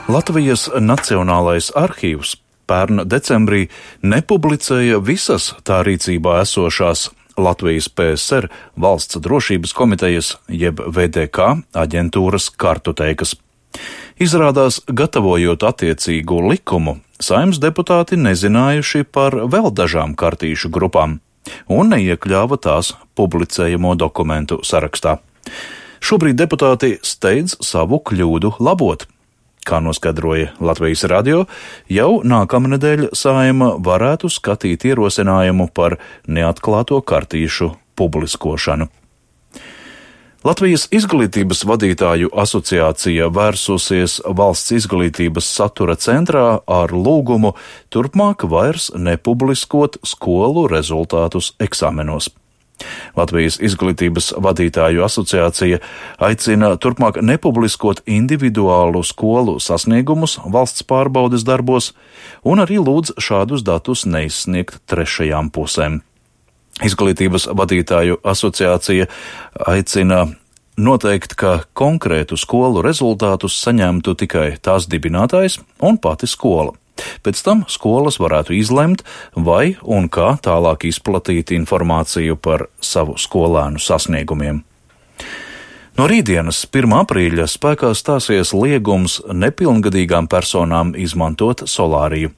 Latvijas Nacionālais arhīvs pērn decembrī nepublicēja visas tā rīcībā esošās Latvijas PSR Valsts drošības komitejas jeb VDK aģentūras kartoteikas. Izrādās, gatavojot attiecīgo likumu, Saeimas deputāti nezinājuši par vēl dažām kartīšu grupām un neiekļāva tās publicējamo dokumentu sarakstā. Šobrīd deputāti steidz savu kļūdu labot. Kā noskaidroja Latvijas radio, jau nākamnedēļ Saeima varētu skatīt ierosinājumu par neatklāto kartīšu publiskošanu. Latvijas izglītības vadītāju asociācija vērsusies Valsts izglītības satura centrā ar lūgumu turpmāk vairs nepubliskot skolu rezultātus eksāmenos. Latvijas izglītības vadītāju asociācija aicina turpmāk nepubliskot individuālu skolu sasniegumus valsts pārbaudes darbos un arī lūdz šādus datus neizsniegt trešajām pusēm. Izglītības vadītāju asociācija aicina noteikt, ka konkrētu skolu rezultātus saņemtu tikai tās dibinātājs un pati skola. Pēc tam skolas varētu izlemt, vai un kā tālāk izplatīt informāciju par savu skolēnu sasniegumiem. No rītdienas, 1. aprīļa, spēkā stāsies liegums nepilngadīgām personām izmantot solāriju.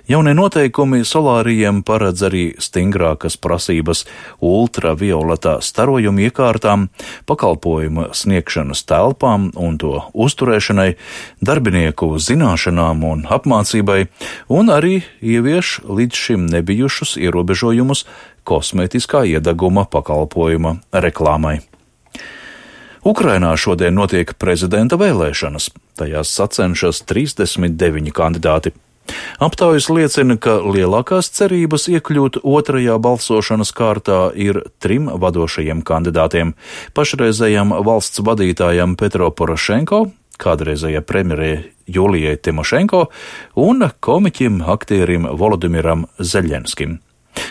Jaunie noteikumi solārijiem paredz arī stingrākas prasības ultravioletā starojuma iekārtām, pakalpojuma sniegšanas telpām un to uzturēšanai, darbinieku zināšanām un apmācībai, un arī ievieš līdz šim nebijušus ierobežojumus kosmētiskā iedeguma pakalpojuma reklāmai. Ukrainā šodien notiek prezidenta vēlēšanas. Tajās sacenšas 39 kandidāti. Aptaujas liecina, ka lielākās cerības iekļūt otrajā balsošanas kārtā ir 3 vadošajiem kandidātiem - pašreizējam valsts vadītājam Petro Porošenko, kādreizējai premjerei Julijai Timošenko un komiķim aktierim Volodimiram Zeļenskim.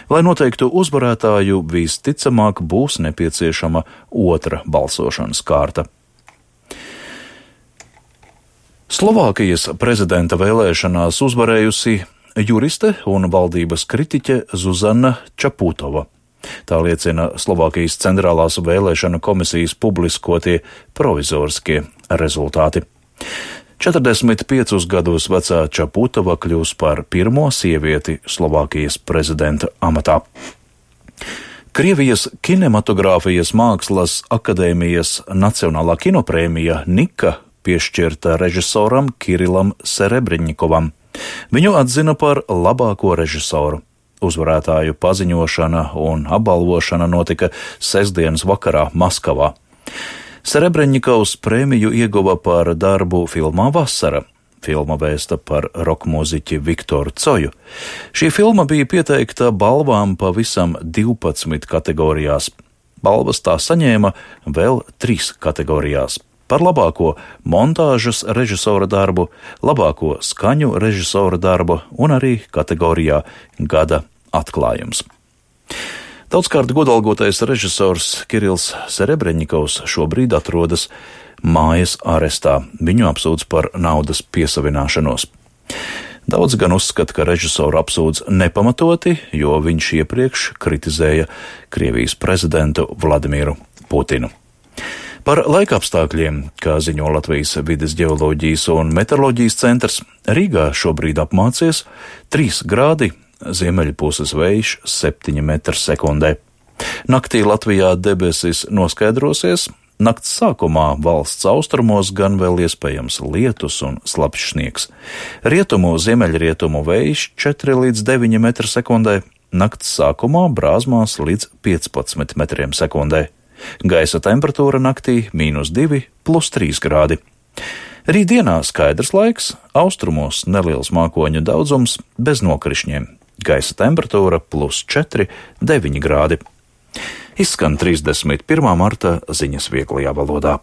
Lai noteiktu uzvarētāju, visticamāk būs nepieciešama otra balsošanas kārta. Slovākijas prezidenta vēlēšanās uzvarējusi juriste un valdības kritiķe Zuzana Čaputova. Tā liecina Slovākijas centrālās vēlēšanu komisijas publiskotie provizoriskie rezultāti. 45 gadus vecā Čaputova kļūs par pirmo sievieti Slovākijas prezidenta amatā. Krievijas kinematogrāfijas mākslas akadēmijas Nacionālā kinoprēmija Nika piešķirta režisoram Kirilam Serebreņikovam. Viņu atzina par labāko režisoru. Uzvarētāju paziņošana un apbalvošana notika sestdienas vakarā Maskavā. Serebreņikovs prēmiju ieguva par darbu filmā Vasara. Filma vēsta par rokmūziķi Viktoru Coju. Šī filma bija pieteikta balvām pavisam 12 kategorijās. Balvas tā saņēma vēl 3 kategorijās. Par labāko montāžas režisora darbu, labāko skaņu režisora darbu un arī kategorijā Gada atklājums. Daudzkārt godalgotais režisors Kirils Serebreņikovs šobrīd atrodas mājas arestā. Viņu apsūdz par naudas piesavināšanos. Daudz gan uzskata, ka režisoru apsūdz nepamatoti, jo viņš iepriekš kritizēja Krievijas prezidentu Vladimiru Putinu. Par laikapstākļiem, kā ziņo Latvijas vides ģeoloģijas un meteoroloģijas centrs, Rīgā šobrīd apmācies 3 grādi, ziemeļpuses vējš 7 m/sekundē. Naktī Latvijā debesis noskaidrosies, nakts sākumā valsts austrumos gan vēl iespējams lietus un slapjš sniegs. Rietumu, ziemeļrietumu vējš 4 līdz 9 m/sekundē, nakts sākumā brāzmās līdz 15 m/sekundē. Gaisa temperatūra naktī -2, +3 grādi. Rītdienā skaidrs laiks, austrumos neliels mākoņu daudzums bez nokrišņiem. Gaisa temperatūra +4, 9 grādi. Izskan 31. marta ziņas vieglajā valodā.